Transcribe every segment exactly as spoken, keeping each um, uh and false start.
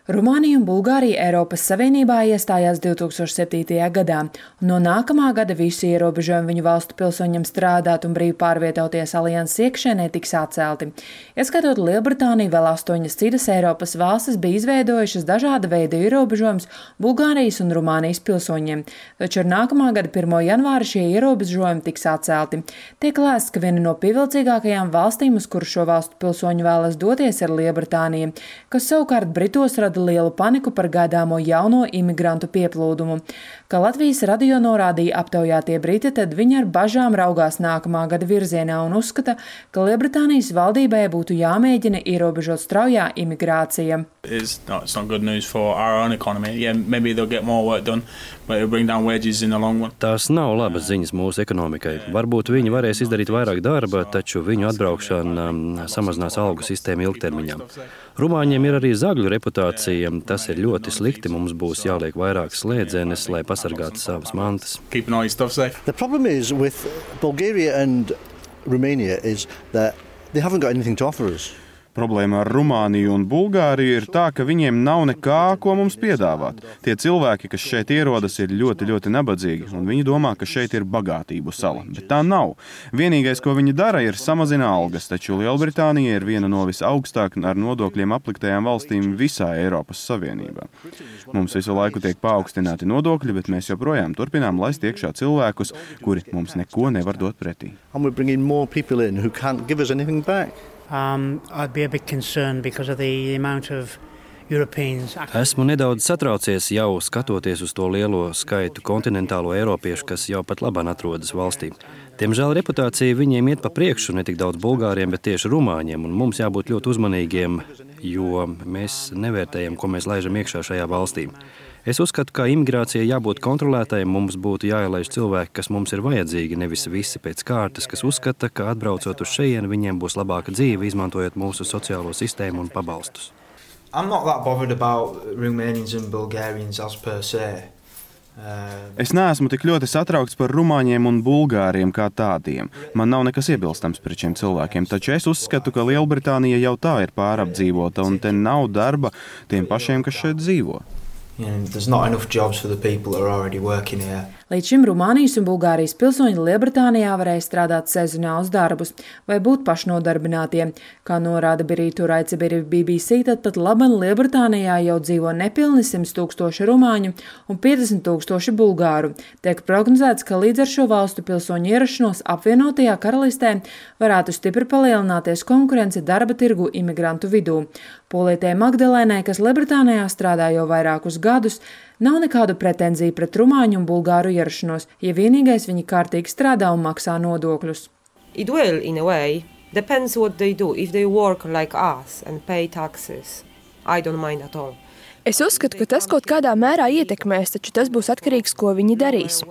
Rumānija un Bulgārija Eiropas Savienībā iestājās divtūkstoš septītajā gadā, un no nākamā gada visi ierobežojumi viņu valstu pilsoņiem strādāt un brīvi pārvietoties alianses iekšēnē tiks atcelti. Ieskatot Lielbritāniju, vēl astoņas citas Eiropas valstis bija izveidojušas dažāda veida ierobežojumus Bulgārijas un Rumānijas pilsoņiem, taču ar nākamā gada pirmo janvāra šie ierobežojumi tiks atcelti. Tiek lēsts, ka viena no pievilcīgākajām valstīm, uz kuru šo valstu pilsoņu vēlas doties, ir Lielbritānija, kas savukārt Britos rada lielu paniku par gaidāmo jauno imigrantu pieplūdumu. Kā Latvijas radio norādīja aptaujātie briti, tad viņi ar bažām raugās nākamā gada virzienā un uzskata, ka Lielbritānijas valdībai būtu jāmēģina ierobežot straujā imigrācija. It's not, it's not good news for our own economy. Yeah, maybe they'll get more work done, but it'll bring down wages in the long run. Tās nav labas ziņas mūsu ekonomikai. Varbūt viņi varēs izdarīt vairāk darba, taču viņu atbraukšana um, samazinās algu sistēmu ilgtermiņā. Rumāņiem ir arī zagļu reputācija. Tas ir ļoti slikti. Mums būs jāliek vairāk slēdzenes, lai pasargātu savas mantas. Keeping all your stuff safe. The problem is with Bulgaria and Romania is that they haven't got anything to offer us. Problēma ar Rumāniju un Bulgāriju ir tā, ka viņiem nav nekā, ko mums piedāvāt. Tie cilvēki, kas šeit ierodas, ir ļoti, ļoti nabadzīgi, un viņi domā, ka šeit ir bagātību sala. Bet tā nav. Vienīgais, ko viņi dara, ir samazina algas, taču Lielbritānija ir viena no visaugstāk ar nodokļiem apliktajām valstīm visā Eiropas Savienībā. Mums visu laiku tiek paaugstināti nodokļi, bet mēs joprojām turpinām laist iekšā cilvēkus, kuri mums neko nevar dot pretī. And we're bringing more people in who can't give us anything back. Um, I'd be a bit concerned because of the amount of Europeans. Esmu nedaudz satraucies jau skatoties uz to lielo skaitu kontinentālo eiropiešu, kas jau pat labāk atrodas valstī. Diemžēl reputācija viņiem iet pa priekšu ne tik daudz bulgāriem, bet tieši rumāņiem, un mums jābūt ļoti uzmanīgiem, jo mēs nevērtējam, ko mēs laižam iekšā šajā valstī. Es uzskatu, ka imigrācija jābūt kontrolētai, mums būtu jāielaiž cilvēki, kas mums ir vajadzīgi, nevis visi pēc kārtas, kas uzskata, ka atbraucot uz šejienu, viņiem būs labāka dzīve, izmantojot mūsu sociālo sistēmu un pabalstus. I'm not that bothered about Romanians and Bulgarians as per se. Es neesmu tik ļoti satraukts par rumāņiem un bulgāriem kā tādiem. Man nav nekas iebilstams pret šiem cilvēkiem, taču es uzskatu, ka Lielbritānija jau tā ir pārapdzīvota un te nav darba tiem pašiem, kas šeit dzīvo. And there's not enough jobs for the people that are already working here. Līdz šim Rumānijas un Bulgārijas pilsoņi Lielbritānijā varēja strādāt sezonālus darbus vai būt pašnodarbinātie. Kā norāda Birītu Raicebiri B B C, tad pat laban Lielbritānijā jau dzīvo nepilni simt tūkstoši rumāņu un piecdesmit tūkstoši bulgāru. Tiek prognozēts, ka līdz ar šo valstu pilsoņu ierašanos apvienotajā karalistē varētu stipri palielināties konkurence darba tirgu imigrantu vidū. Polītei Magdalēnai, kas Lielbritānijā strādā jau vairākus gadus, nav nekādu pretenziju pret rumāņu un bulgāru ierašanos, ja vienīgais viņi kārtīgi strādā un maksā nodokļus. It will, in a way, depends what they do. If they work like us and pay taxes, I don't mind at all. Es uzskatu, ka tas kaut kādā mērā ietekmēs, taču tas būs atkarīgs, ko viņi darīs.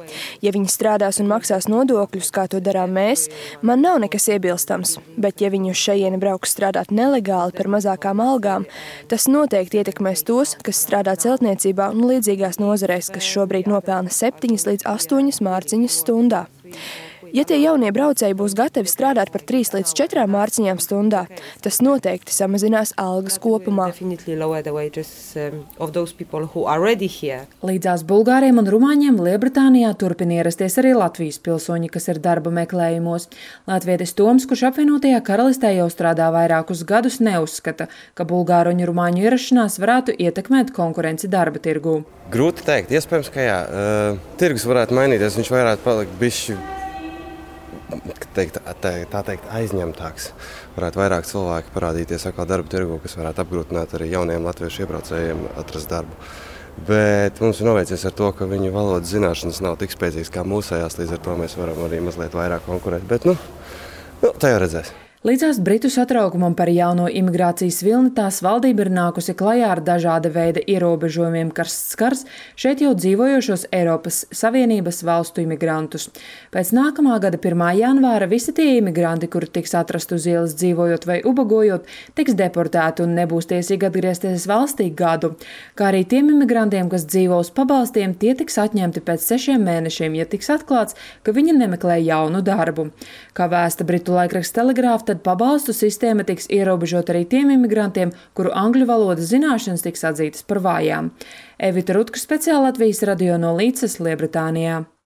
Ja viņi strādās un maksās nodokļus, kā to darām mēs, man nav nekas iebilstams, bet ja viņi uz šejieni brauks strādāt nelegāli par mazākām algām, tas noteikti ietekmēs tos, kas strādā celtniecībā un līdzīgās nozarēs, kas šobrīd nopelna septiņas līdz astoņas mārciņas stundā. Ja tie jaunie braucēji būs gatavi strādāt par trīs līdz četrām mārciņām stundā, tas noteikti samazinās algas kopumā. Līdzās bulgāriem un rumāņiem Lielbritānijā turpina ierasties arī Latvijas pilsoņi, kas ir darba meklējumos. Latvietis Toms, kurš apvienotajā karalistē jau strādā vairākus gadus, neuzskata, ka bulgāru un rumāņu ierašanās varētu ietekmēt konkurenci darba tirgū. Grūti teikt, iespējams, ka jā. Uh, tirgus varētu mainīties, viņš varētu palikt bišķi Teikt, tā, tā teikt, aizņemtāks. Varētu vairāk cilvēki parādīties atkal darba tirgu, kas varētu apgrūtināt arī jauniem latviešu iebraucējiem atrast darbu. Bet mums ir noveicies ar to, ka viņu valodas zināšanas nav tik spēcīgas kā mūsējās, līdz ar to mēs varam arī mazliet vairāk konkurēt. Bet, nu, nu tā jau redzēs. Līdzās Britu satraukumam par jauno imigrācijas vilni tās valdība ir nākusi klajā ar dažāda veida ierobežojumiem, kas skars šeit jau dzīvojošos Eiropas Savienības valstu imigrantus. Pēc nākamā gada pirmā janvāra visi tie imigranti, kuri tiks atrast uz ielas dzīvojot vai ubagojot, tiks deportēti un nebūs tiesīgi atgriezties valstī gadu. Kā arī tiem imigrantiem, kas dzīvo uz pabalstiem, tie tiks atņemti pēc sešiem mēnešiem, ja tiks atklāts, ka viņi nemeklē jaunu darbu. Kā vēsta Britu laikraksts Telegraph, tad tad pabalstu sistēma tiks ierobežot arī tiem imigrantiem, kuru angļu valodas zināšanas tiks atzītas par vājām. Evita Rutka, speciāli Latvijas radio no Līdzes, Lielbritānijā.